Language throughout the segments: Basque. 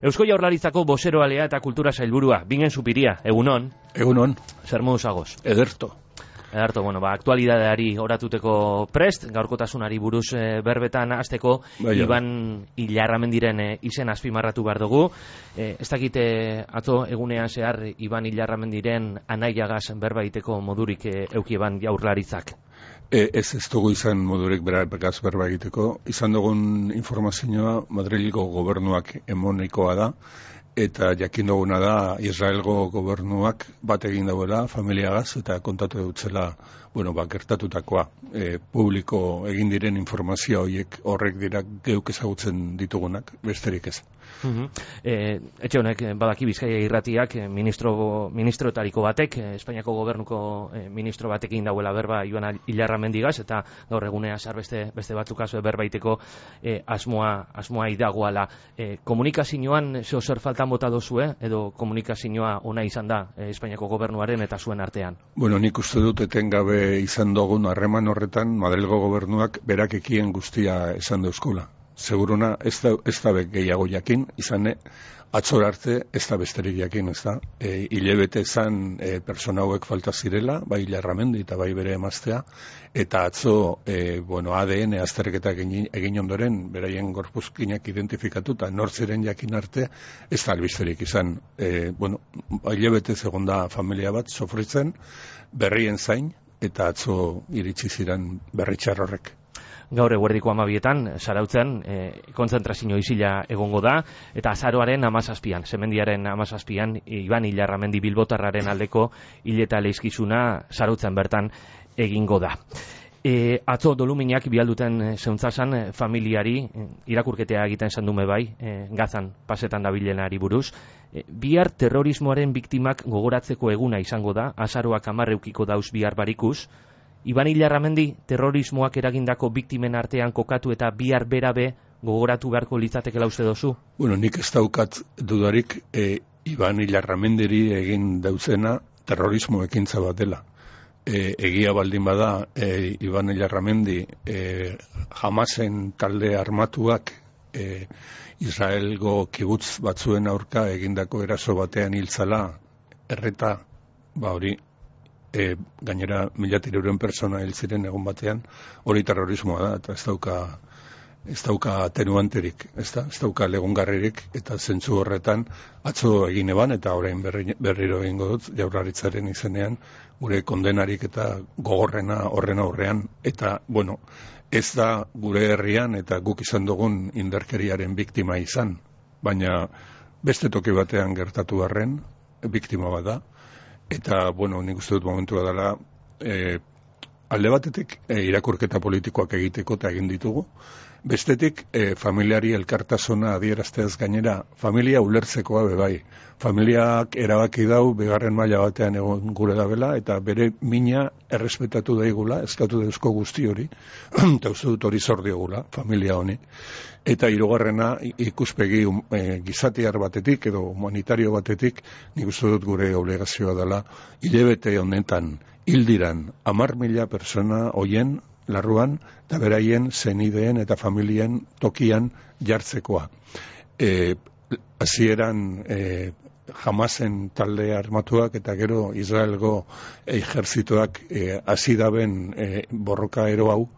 Eusko Jaurlaritzako bozeroalea eta kultura sailburua, Bingen Zupiria, egunon. Egunon. Zer moduz agoz? Ederto, aktualidadeari oratuteko prest, gaurkotasunari buruz berbetan hasteko, Iban Ilarramendiren izen azpimarratu behar dugu. Ez dakite atzo egunean zehar Iban Ilarramendiren anaiagaz berba egiteko modurik eukieban Jaurlaritzak. Ez dugu izan modurik beraz berba egiteko. Izan dugun informazioa Madrilgo gobernuak emonikoa da, eta jakin duguna da Israelgo gobernuak bat egin dauela familiagaz eta kontatu dutzela, gertatutakoa. Publiko egin diren informazio horrek dira geuk ezagutzen ditugunak, besterik ez. Etxe honek badaki Bizkaia irratiak ministroetariko batek, Espainiako gobernuko ministro batekin dauela berba Iban Ilarramendigaz, eta gaur egunea zar beste batzuk berbaiteko asmoa idagoala. Komunikazioan zer faltan bota dozue, edo komunikazioa ona izan da Espainiako gobernuaren eta zuen artean? Nik uste dut etengabe izan dugun harreman horretan Madrilgo gobernuak berak ekien guztia esan dauzkula. Seguruna ez da gehiago jakin, izan atzor arte ez da besterik jakin, ez da. Hilebete zan persona hauek falta zirela, bai Ilarramendi eta bai bere emaztea, eta atzo ADN azterketak egin ondoren, beraien gorpuzkinak identifikatuta nortziren jakin arte, ez da albisterik izan. Hilebete segonda familia bat sofritzen, berrien zain, eta atzo iritsi ziren berritxar horrek. Gaur eguerdiko 12etan, Zarautzen, kontzentrazio isila egongo da, eta azaroaren 17an, Semendiaren 17an, Iban Ilarramendi bilbotarraren aldeko hileta leizkizuna Zarautzen bertan egingo da. Atzo doluminak bialduten zeuntzasan familiari, irakurketea egiten zandume bai, Gazan pasetan dabilenari buruz. Bihar terrorismoaren biktimak gogoratzeko eguna izango da, azaroak 10 eukiko dauz bihar barikuz. Iban Ilarramendi terrorismoak eragindako biktimen artean kokatu eta bihar berabe gogoratu beharko litzatekela uste dozu? Nik ez daukat dudarik Iban Ilarramendiri egin dauzena terrorismo ekintza bat dela. Egia baldin bada Iban Ilarramendi Hamasen talde armatuak Israelgo kibutz batzuen aurka egindako eraso batean hiltzala erreta, hori gainera 1.300 persona hil ziren egun batean, hori terrorismoa da, eta ez dauka atenuanterik, ez dauka legungarririk, eta zentzu horretan atzo egin eban, eta orain berriro egingo dut, Jaurlaritzaren izenean, gure kondenarik eta gogorrena horren aurrean, eta, ez da gure herrian eta guk izan dugun indarkeriaren biktima izan, baina beste toki batean gertatu arren, biktima bat da. Eta, nik uste dut momentua dela, alde batetik irakurketa politikoak egiteko eta egin ditugu. Bestetik, familiari elkartasuna adierazteaz gainera, familia ulertzekoa bebai. Familiak erabaki dau, bigarren maila batean egon gure dabela, eta bere mina errespetatu daigula, eskatu dauzko guzti hori, eta uste dut hori zor diogula, familia honi. Eta hirugarrena ikuspegi gizatiar batetik edo humanitario batetik, nik uste dut gure obligazioa dela, hilebete honetan hildiran 10.000 persona hoien larruan, eta beraien zenideen eta familien tokian jartzekoa. Hasieran Hamasen talde armatuak eta gero Israelgo ejerzitoak hasi daben borroka ero hau,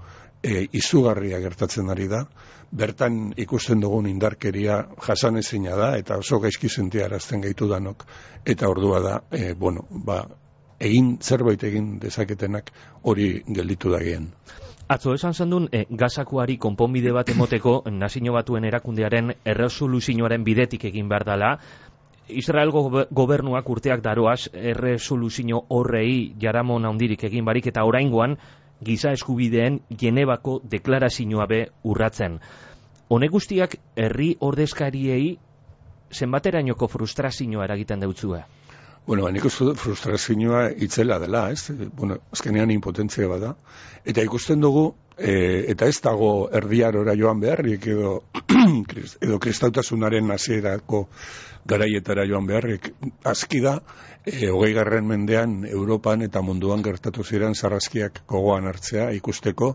izugarria gertatzen ari da. Bertan ikusten dugun indarkeria jasanezina da, eta oso gaizki sentiarazten gaitu danok, eta ordua da, zerbait egin dezaketenak hori gelditu dagien. Atzo esan zendun, Gazakoari konponbide bat emoteko Nazio Batuen erakundearen erresoluzioaren bidetik egin behar dela. Israelgo gobernuak urteak daroaz erresoluzio horrei jaramon handirik egin barik, eta oraingoan giza eskubideen Genebako deklarazioa be urratzen. Honek guztiak herri ordezkariei zenbaterainoko frustrazioa eragiten deutzue? Nik uste dut frustrazioa itzela dela, azkenean impotentzia bada. Eta ikusten dugu, eta ez dago erdiarora joan beharrik, edo kristautasunaren hasierako garaietara joan beharrik. Azki da, 20. mendean Europan eta munduan gertatu ziren sarraskiak gogoan hartzea, ikusteko,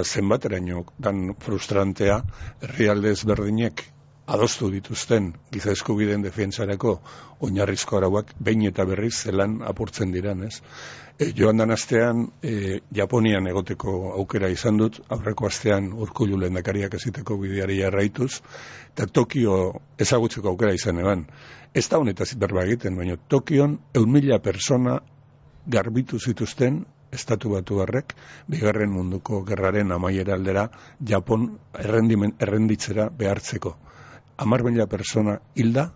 zenbateraino dan frustrantea herrialde ezberdinek adostu dituzten giza eskubideen defentsarako oinarrizko arauak behin eta berriz zelan apurtzen diran, ez? Joan dan astean Japonian egoteko aukera izan dut, aurreko astean Urkullu lehendakariak eziteko bideari jarraituz, eta Tokio ezagutzeko aukera izan eban. Ez da honetaz berba egiten, baina Tokion 100.000 persona garbitu zituzten Estatu Batuarrek Bigarren Munduko Gerraren amaiera aldera Japon errenditzera behartzeko. 10.000 persona hilda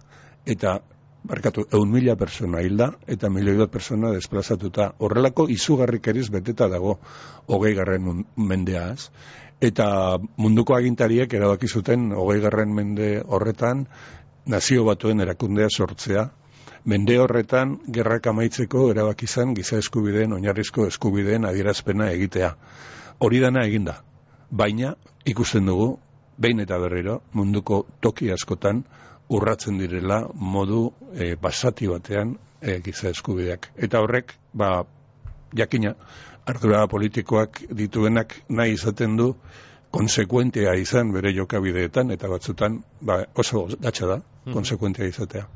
eta 100.000 persona hilda eta 1.000.000 persona desplazatuta. Horrelako izugarrikeriz beteta dago 20. mendeaz. Eta munduko agintariek erabaki zuten 20. mende horretan Nazio Batuen erakundea sortzea. Mende horretan gerrak amaitzeko erabaki izan giza eskubideen, oinarrizko eskubideen adierazpena egitea. Hori dana eginda. Baina ikusten dugu behin eta berriro munduko toki askotan urratzen direla modu basati batean giza eskubideak. Eta horrek, jakina, ardura politikoak dituenak nahi izaten du konsekuentea izan bere jokabideetan, eta batzutan oso gatsa da konsekuentea izatea.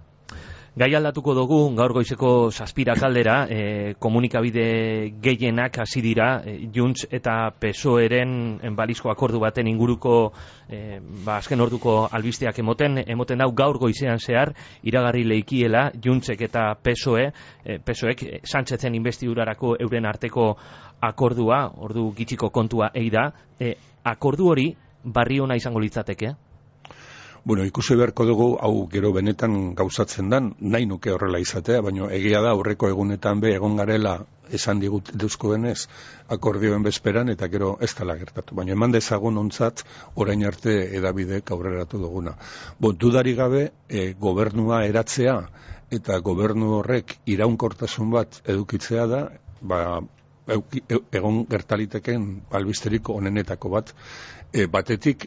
Gai aldatuko dugu, gaur goizeko 7 kaldera, komunikabide gehienak hasi dira, Junts eta PSOE-ren balizko akordu baten inguruko azken orduko albisteak emoten dau gaur goizean zehar, iragarri leikiela Juntsek eta PSOEk Sánchezen investidurarako euren arteko akordua, ordu gitxiko kontua da, akordu hori barri ona izango litzateke? Bueno, ikusi beharko dugu, hau gero benetan gauzatzen dan, nahi nuke horrela izatea, baina egia da aurreko egunetan egon garela esan digutuzkoenez akordioen bezperan, eta gero ez dela gertatu. Baina eman dezagun ontzat orain arte edabidek aurreratu duguna. Dudari gabe, gobernua eratzea eta gobernu horrek iraunkortasun bat edukitzea da, egon gertaliteken albisterik onenetako bat, batetik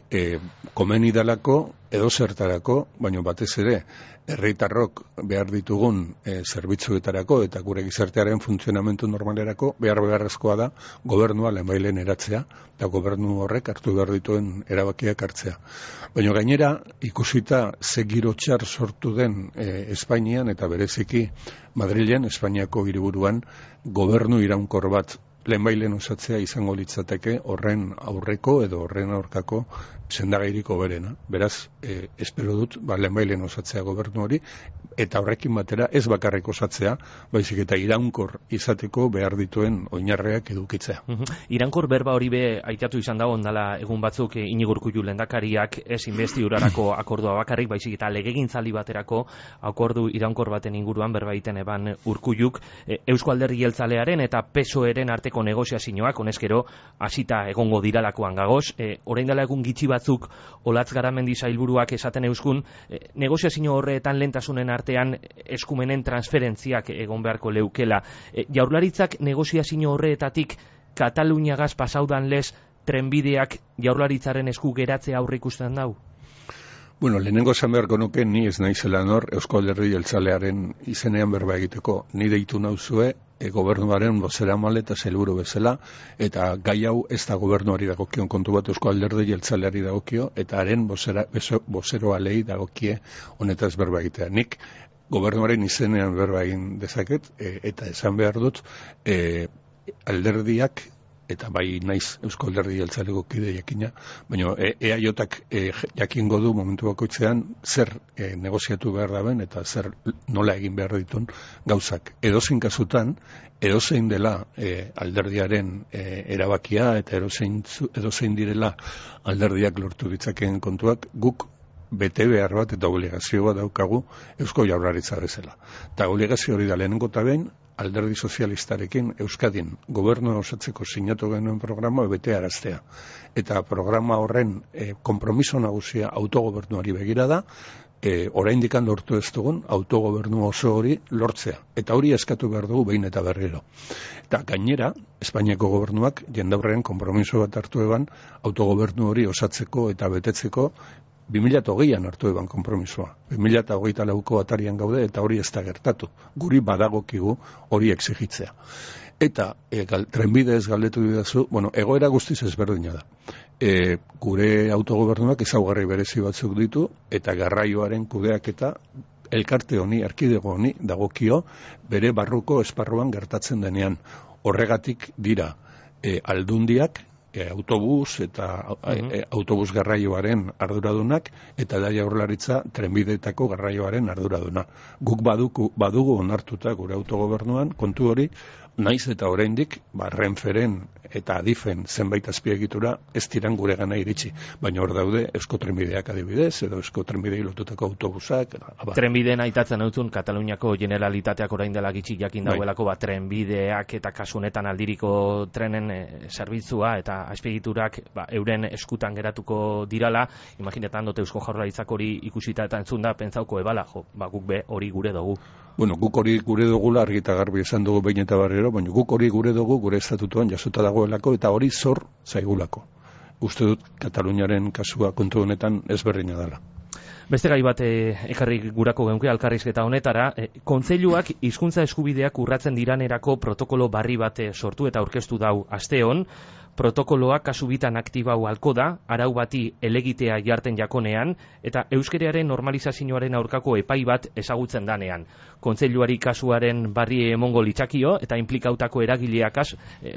komeni dalako edo zertarako, baina batez ere herritarrok behar ditugun zerbitzuetarako eta gure gizartearen funtzionamentu normalerako beharrezkoa da gobernua lehenbailen eratzea eta gobernu horrek hartu behar dituen erabakiak hartzea. Baina gainera ikusita ze giro txar sortu den Espainian eta bereziki Madrilen, Espainiako hiriburuan, gobernu iraunkor bat lehenbailen osatzea izango litzateke horren aurreko edo horren aurkako sendagairiko berena. Beraz, espero dut lehenbailen osatzea gobernu hori, eta horrekin batera ez bakarrik osatzea, baizik eta iraunkor izateko behar dituen oinarreak edukitzea. Iraunkor berba hori aitatu izan dago ondala egun batzuk Iñigo Urkullu lehendakariak ez investidurarako akordua bakarrik, baizik eta legegintzaldi baterako akordu iraunkor baten inguruan berba egiten eban Urkulluk Eusko Alderdi Jeltzalearen eta PSOE-ren arteko negoziazioak honezkero hasita egongo diralakoan gagoz. Orain dela egun gitxi batzuk Olatz Garamendi sailburuak esaten euskun negoziazio horretan lehentasunen artean eskumenen transferentziak egon beharko leukela. Jaurlaritzak negoziazio horretatik Kataluniagaz pasaudan lez trenbideak Jaurlaritzaren esku geratzea aurre ikusten dau? Bueno, lehenengo esan beharko nuke ni ez naizela nor Eusko Alderdi Jeltzalearen izenean berba egiteko. Ni deitu nauzue gobernuaren bozeramale eta sailburu bezala, eta gai hau ez da gobernuari dagokion kontu bat, Eusko Alderdi Jeltzaleari dagokio, eta haren bozeroalei dagokie honetaz berba egitea. Nik gobernuaren izenean berba egin dezaket, eta esan behar dut, alderdiak, eta bai naiz Eusko Alderdi Jeltzaleko kide jakina, baina EAJak jakingo du momentu bakoitzean zer negoziatu behar daben eta zer nola egin behar ditun gauzak. Edozein kasutan, edozein dela alderdiaren erabakia eta edozein direla alderdiak lortu ditzakeen kontuak, guk bete behar bat eta obligazio bat daukagu Eusko Jaurlaritza bezala. Eta obligazio hori da lehenengo eta behin, Alderdi Sozialistarekin Euskadin gobernua osatzeko sinatu genuen programa bete araztea. Eta programa horren konpromiso nagusia autogobernuari begira da, oraindik lortu ez dugun autogobernu oso hori lortzea. Eta hori eskatu behar dugu behin eta berriro. Eta gainera, Espainiako gobernuak jendaurrean konpromiso bat hartu eban autogobernu hori osatzeko eta betetzeko 2008an hartu eban konpromisoa. 2024ko atarian gaude eta hori ez da gertatu. Guri badagokigu hori exigitzea. Eta trenbide ez galdetu didazu, egoera guztiz ezberdina da. gure autogobernuak ezaugarri berezi batzuk ditu, eta garraioaren kudeaketa elkarte honi, erkidego honi, dagokio bere barruko esparruan gertatzen denean. Horregatik dira aldundiak, autobus eta autobus garraioaren arduradunak, eta da Jaurlaritza trenbideetako garraioaren arduraduna. Guk badugu onartuta gure autogobernuan kontu hori, naiz eta oraindik Renferen eta Adifen zenbait azpiegitura ez diran gure gana iritsi. Baina hor daude Eusko Trenbideak adibidez, edo Eusko Trenbidei lotutako autobusak. Trenbideen aitatzen hautzun, Kataluniako Generalitateak orain dela gitxi jakin dauelako, trenbideak eta kasunetan aldiriko trenen zerbitzua eta azpiegiturak euren eskutan geratuko dirala. Imaginetan dut Eusko Jaurlaritzak hori ikusita eta entzunda, pentsauko ebala, guk be hori gure dugu. Bueno, guk hori gure dugula argi eta garbi esan dugu behin eta barriro, baina guk hori gure dugu gure estatutuan jasota dagoelako eta hori zor zaigulako. Uste dut Kataluniaren kasua kontu honetan ezberdina dela. Beste gai bat ekarri gurako geunke elkarrizketa honetara, kontseiluak hizkuntza eskubideak urratzen diranerako protokolo barri bat sortu eta aurkeztu dau asteon. Protokoloa kasu bitan aktibau halko da, arau bati elegitea jarten jakonean, eta euskeraren normalizazioaren aurkako epai bat ezagutzen danean. Kontseiluari kasuaren barri emongo litzakio, eta inplikautako eragileak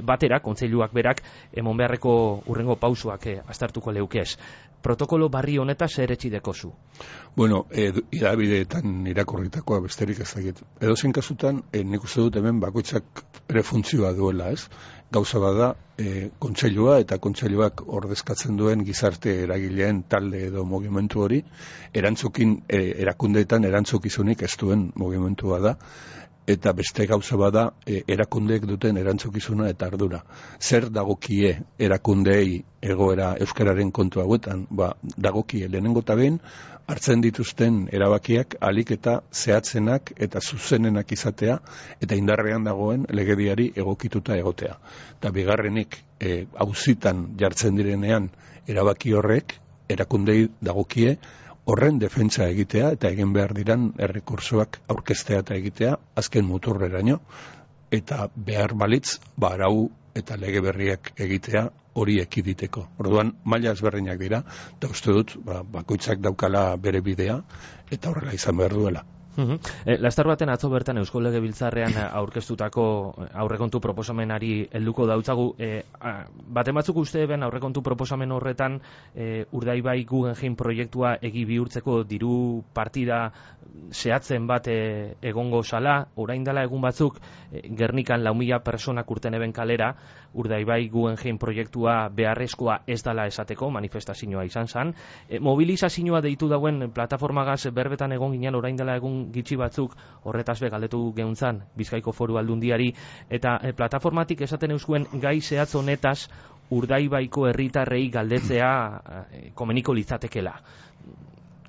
batera, kontseiluak berak, emon beharreko urrengo pausuak aztertuko leukez. Protokolo barri honetaz zer etxidekozu? Bueno, idabideetan irakorritakoa besterik ez dakit. Edozein kasutan, nik uste dut hemen bakoitzak ere funtzioa duela, ez? Gauza bada, kontseilua eta kontseiluak ordezkatzen duen gizarte eragileen talde edo mugimendu hori, erakundeetan erantzukizunik ez duen mugimendua da, eta beste gauza bada erakundeek duten erantzukizuna eta ardura. Zer dagokie erakundeei egoera euskararen kontu hauetan? Dagokie lehenengo eta behin hartzen dituzten erabakiak alik eta zehatzenak eta zuzenenak izatea eta indarrean dagoen legediari egokituta egotea. Eta bigarrenik auzitan jartzen direnean erabaki horrek erakundei dagokie horren defentsa egitea eta egin behar diran errekursoak aurkeztea eta egitea azken muturreraino, eta behar balitz arau eta lege berriak egitea hori ekiditeko. Orduan maila ezberdinak dira, eta uste dut bakoitzak daukala bere bidea eta horrela izan behar duela. Laster baten atzo bertan Eusko Legebiltzarrean aurkeztutako aurrekontu proposamenari helduko dautzagu. Baten batzuk uste ben aurrekontu proposamen horretan Urdaibai Guggenheim proiektua egi bihurtzeko diru partida zehatzen bat egongo sala. Orain dela egun batzuk Gernikan 4.000 personak urten eben kalera, Urdaibai Guggenheim proiektua beharrezkoa ez dela esateko, manifestazioa izan zen. Mobilizazioa deitu dauen plataformagaz berbetan egon ginen orain dela egun gitxi batzuk, horretaz be galdetu geuntzan Bizkaiko Foru Aldundiari, eta plataformatik esaten euskuen gai zehatz honetaz Urdaibaiko herritarrei galdetzea komeniko litzatekela.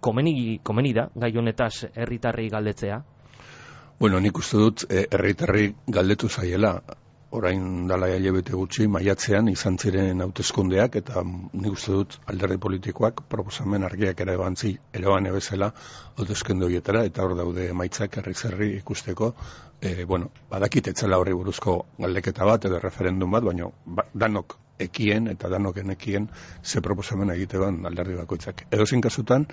Komeni da gai honetaz herritarrei galdetzea? Bueno, nik uste dut herritarrei galdetu zaiela. Orain dala hilabete gutxi maiatzean izan ziren hauteskundeak, eta nik uste dut alderdi politikoak proposamen argiak eraban bezala hauteskunde horietara, eta hor daude emaitzak herri ikusteko. Badakit etzela horri buruzko galdeketa bat edo referendum bat, baina danok ekien eta danok enekien ze proposamen egite ban alderdi bakoitzak. Edozein kasutan,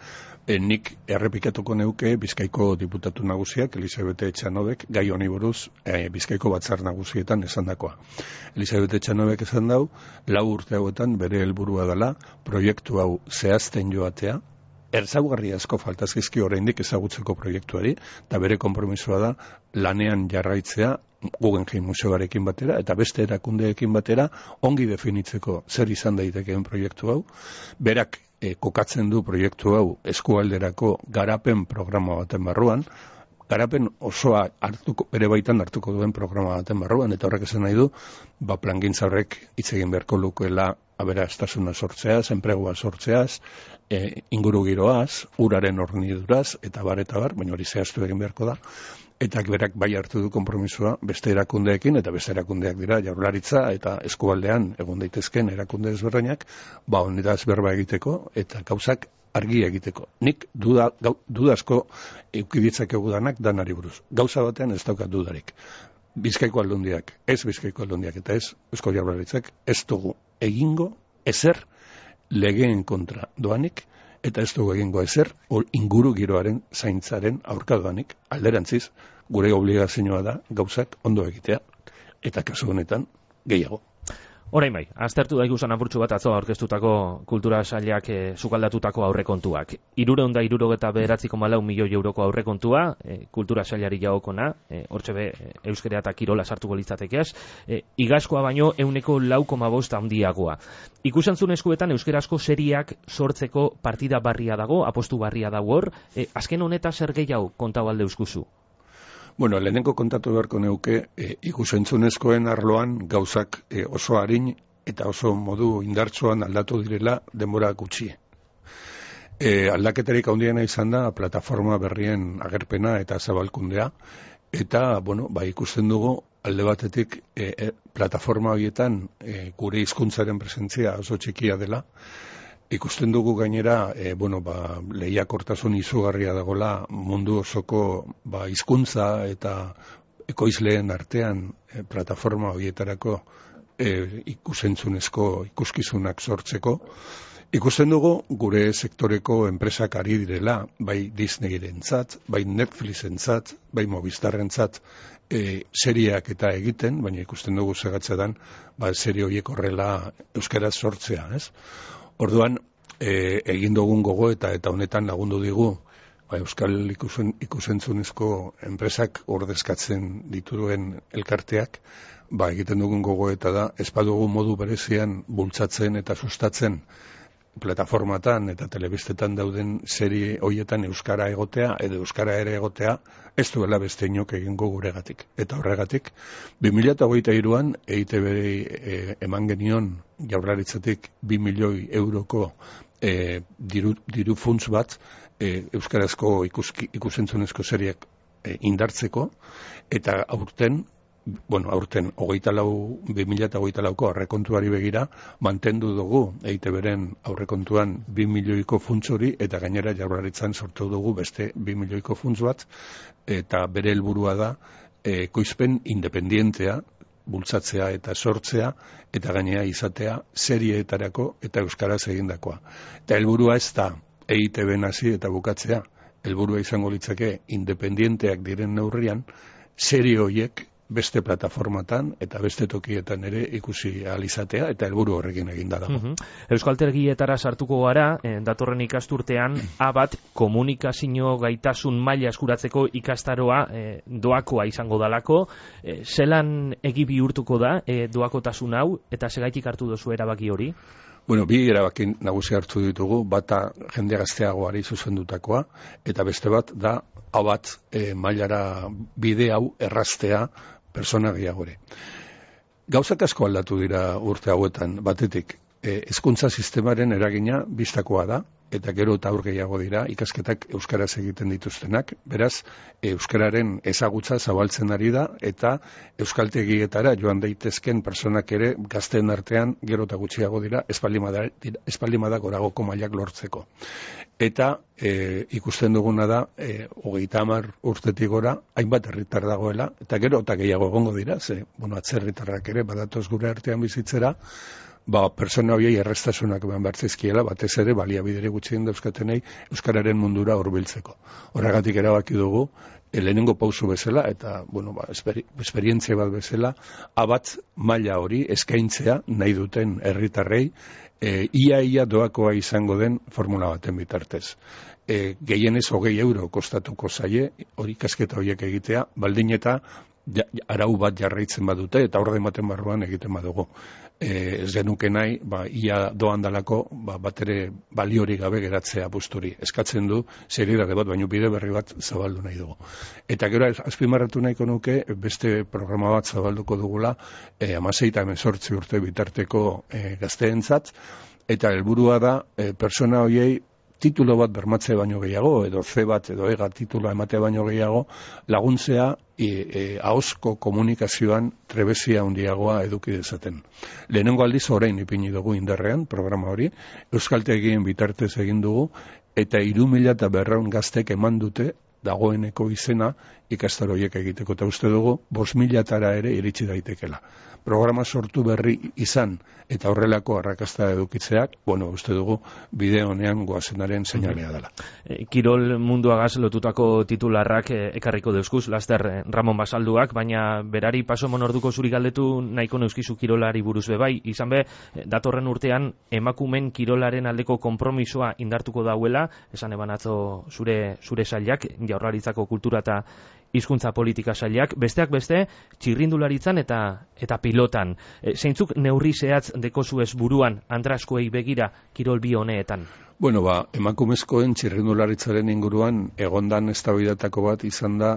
nik errepikatuko neuke Bizkaiko diputatu nagusiak, Elisabete Etxanobek, gai honi buruz Bizkaiko batzar nagusietan esandakoa. Elisabete Etxanobek esan dau, 4 urte hauetan bere helburua dela proiektu hau zehazten joatea, ezaugarri asko faltazizki oraindik ezagutzeko proiektuari, eta bere konpromisoa da lanean jarraitzea Guggenheim museoarekin batera eta beste erakundeekin batera ongi definitzeko zer izan daitekeen proiektu hau. Berak kokatzen du proiektu hau eskualderako garapen programa baten barruan, garapen osoa bere baitan hartuko duen programa baten barruan, eta horrek esan nahi du, plangintza horrek hitz egin beharko lukeela aberastasuna sortzeaz, enplegua sortzeaz, ingurugiroaz, uraren horniduraz, eta bar, baina hori zehaztu egin beharko da, eta berak bai hartu du konpromisoa beste erakundeekin, eta beste erakundeak dira Jaurlaritza eta eskualdean egon daitezken erakunde ezberdinak, honetaz berba egiteko eta gauzak argi egiteko. Nik dudazko eukiditzakegu danak danari buruz. Gauza batean ez daukat dudarik. Bizkaiko Aldundiak, ez Bizkaiko Aldundiak eta ez Eusko Jaurlaritzak ez dugu egingo ezer legeen kontra doanik, eta ez dugu egingo ezer, inguru giroaren zaintzaren aurka doanik, alderantziz, gure obligazioa da gauzak ondo egitea, eta kasu honetan gehiago. Orain bai, aztertu daiguzan apurtxu bat atzo aurkeztutako kultura sailak sukaldatutako aurrekontuak. 369,4 milioi euroko aurrekontua, kultura sailari jagokona, hortxe be euskera eta kirola sartuko litzatekeaz, igazkoa baino 4,5% handiagoa. Ikusentzunezkoetan euskerazko seriak sortzeko partida barria dago, apostu barria dago hor, azken honeta zer gehiago kontau alde euskuzu? Bueno, lehenengo kontatu beharko neuke, ikusentzunezkoen arloan gauzak oso arin eta oso modu indartsuan aldatu direla denbora gutxi. Aldaketarik handiena izan da plataforma berrien agerpena eta zabalkundea, eta, bueno, ikusten dugu alde batetik plataforma horietan gure hizkuntzaren presentzia oso txikia dela. Ikusten dugu gainera, lehiakortasun izugarria dagola mundu osoko hizkuntza eta ekoizleen artean plataforma horietarako ikusentzunezko ikuskizunak sortzeko. Ikusten dugu gure sektoreko enpresak ari direla, bai Disneyrentzat, bai Netflixentzat, bai Movistarrentzat serieak eta egiten, baina ikusten dugu segatzetan serie horiek horrela euskaraz sortzea, ez? Orduan, egin dugun gogo eta honetan lagundu digu euskal ikusentzunezko enpresak ordezkatzen dituen elkarteak, egiten dugun gogo eta da, ez badugu modu berezian bultzatzen eta sustatzen plataformatan eta telebistetan dauden serie horietan euskara egotea edo euskara ere egotea, ez duela beste inok egingo guregatik. Eta horregatik, 2023an EITB eman genion Jaurlaritzatik 2 milioi euroko diru funts bat euskarazko ikusentzunezko seriak indartzeko, eta aurten 2024ko aurrekontuari begira mantendu dugu EITBren aurrekontuan 2 milioiko funts hori, eta gainera Jaurlaritzan sortu dugu beste 2 milioiko funts bat, eta bere helburua da ekoizpen independientea bultzatzea eta sortzea, eta gainera izatea serieetarako eta euskaraz egindakoa. Eta helburua ez da EITBen hasi eta bukatzea, helburua izango litzake independienteak diren neurrian serie horiek beste plataformatan eta beste tokietan ere ikusi ahal izatea, eta helburu horrekin eginda dago. Euskaltegietara sartuko gara, datorren ikasturtean, A1 komunikazio gaitasun maila eskuratzeko ikastaroa doakoa izango dalako. Zelan egi bihurtuko da doakotasun hau, eta segaitik hartu duzu erabaki hori? Bueno, bi erabaki nagusi hartu ditugu, bata jende gazteagoari zuzendutakoa, eta beste bat da A1 mailara bide hau erraztea persona gehiagore. Gauzak asko aldatu dira urte hauetan, batetik, hezkuntza sistemaren eragina bistakoa da, eta gero eta aur gehiago dira ikasketak euskaraz egiten dituztenak, beraz, euskararen ezagutza zabaltzen ari da, eta euskaltegietara joan daitezken personak ere gazteen artean gero eta gutxiago dira, espaldimada goragoko mailak lortzeko. Eta ikusten duguna da, 30 urtetik gora, hainbat herritar dagoela, eta gero eta gehiago egongo dira, atzerritarrak ere badatoz gure artean bizitzera, persona horiei errestasunak eman bertzizkiela, batez ere baliabidere gutxien dauzkatenei euskararen mundura hurbiltzeko. Horregatik erabaki dugu, lehenengo pausu bezala, eta esperientzia bat bezala, A1 maila hori eskaintzea nahi duten herritarrei, ia doakoa izango den formula baten bitartez. Gehienez 20 euro kostatuko zaie, hori ikasketa horiek egitea, baldin eta arau bat jarraitzen badute, eta orde ematen barruan egiten badugu. Ez genuke nahi, ia doan dalako, bat ere baliorik gabe geratzea busturi. Eskatzen du, seriedade bat, baino bide berri bat zabaldu nahi dugu. Eta gero, azpimarratu nahiko nuke, beste programa bat zabalduko dugula, 16 eta 18 urte bitarteko gazteentzat, eta helburua da, persona horiei titulo bat bermatzea baino gehiago, edo C bat edo EGA tituloa ematea baino gehiago, laguntzea ahozko komunikazioan trebezia handiagoa eduki dezaten. Lehenengo aldiz orain ipini dugu indarrean, programa hori, euskaltegien bitartez egin dugu, eta 3.200 gaztek eman dute dagoeneko izena ikastaro horiek egiteko, eta uste dugu 5.000 ere iritsi daitekela. Programa sortu berri izan eta horrelako arrakasta edukitzeak, uste dugu bide honean goazenaren seinalea dela. Kirol munduagaz lotutako titularrak ekarriko deuskuz, laster Ramon Basalduak, baina berari paso monorduko zuri galdetu nahiko neuskizu kirolari buruz bebai, izan be, datorren urtean emakumen kirolaren aldeko konpromisoa indartuko dauela, esan eban atzo zure sailak, Jaurlaritzako kultura eta hizkuntza politika sailak, besteak beste, txirrindularitzan eta pilotan. Zeintzuk neurri zehatz dekozuez buruan andraskoei begira kirol bi honeetan? Emakumezkoen txirrindularitzaren inguruan egondan eztabaidatako bat izan da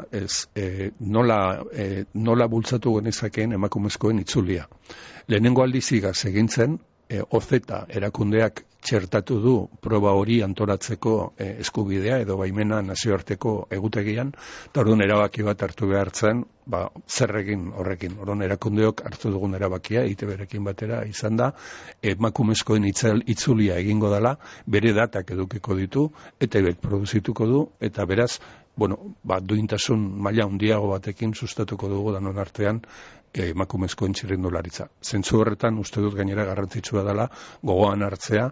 nola bultzatu genezakeen emakumezkoen itzulia. Lehenengo aldizigaz egintzen, OZETA erakundeak txertatu du proba hori antolatzeko eskubidea edo baimena nazioarteko egutegian, eta orduan erabaki bat hartu behartzen, zer egin horrekin. Orduan erakundeok hartu dugun erabakia, EITB-rekin batera izan da, emakumezkoen itzulia egingo dela, bere datak edukiko ditu, eta produzituko du, eta beraz, duintasun maila handiago batekin sustatuko dugu danon artean emakumezkoen txirrindularitza. Zentzu horretan uste dut gainera garrantzitsua dela gogoan hartzea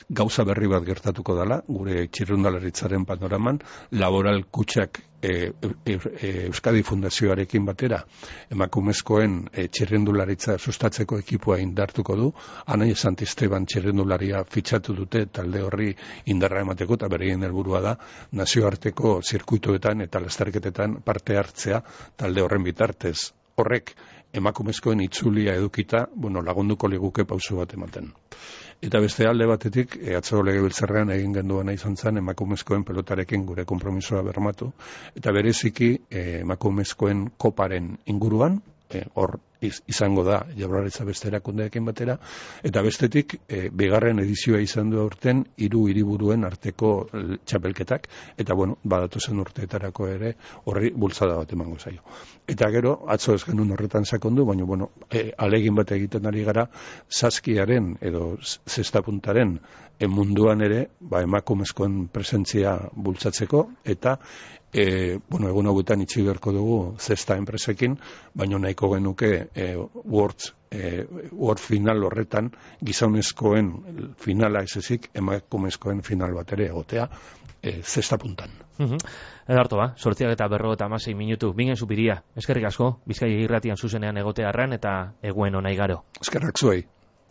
gauza berri bat gertatuko dela gure txirrindularitzaren panoraman, Laboral Kutxak Euskadi Fundazioarekin batera emakumezkoen txirrindularitza sustatzeko ekipoa indartuko du. Anai Santisteban txirrindularia fitxatu dute talde horri indarra emateko, eta bereien helburua da nazioarteko zirkuituetan eta lasterketetan parte hartzea talde horren bitartez. Horrek emakumezkoen itzulia edukita, lagunduko liguke pauso bat ematen. Eta beste alde batetik, atzo legebiltzarrean egin genduena izan zen emakumezkoen pelotarekin gure konpromisoa bermatu, eta bereziki emakumezkoen koparen inguruan, hor izango da Jaurlaritza beste erakundeekin batera, eta bestetik bigarren edizioa izan du aurten 3 hiriburuen arteko txapelketak, eta badatozen urteetarako ere horri bultzada bat emango zaio. Eta gero, atzo ez genuen horretan sakondu, baina alegin bat egiten ari gara saskiaren edo zestapuntaren munduan ere emakumezkoen presentzia bultzatzeko, eta egun hauetan itxi beharko dugu zesta enpresekin, baina nahiko genuke World final horretan gizonezkoen finala ez ezik emakumezkoen final bat ere egotea zesta puntan. Edarto 8:56 minutu, Bingen Zupiria, eskerrik asko, Bizkaia irratian zuzenean egotearren eta eguen ona igaro. Eskerrak zuei.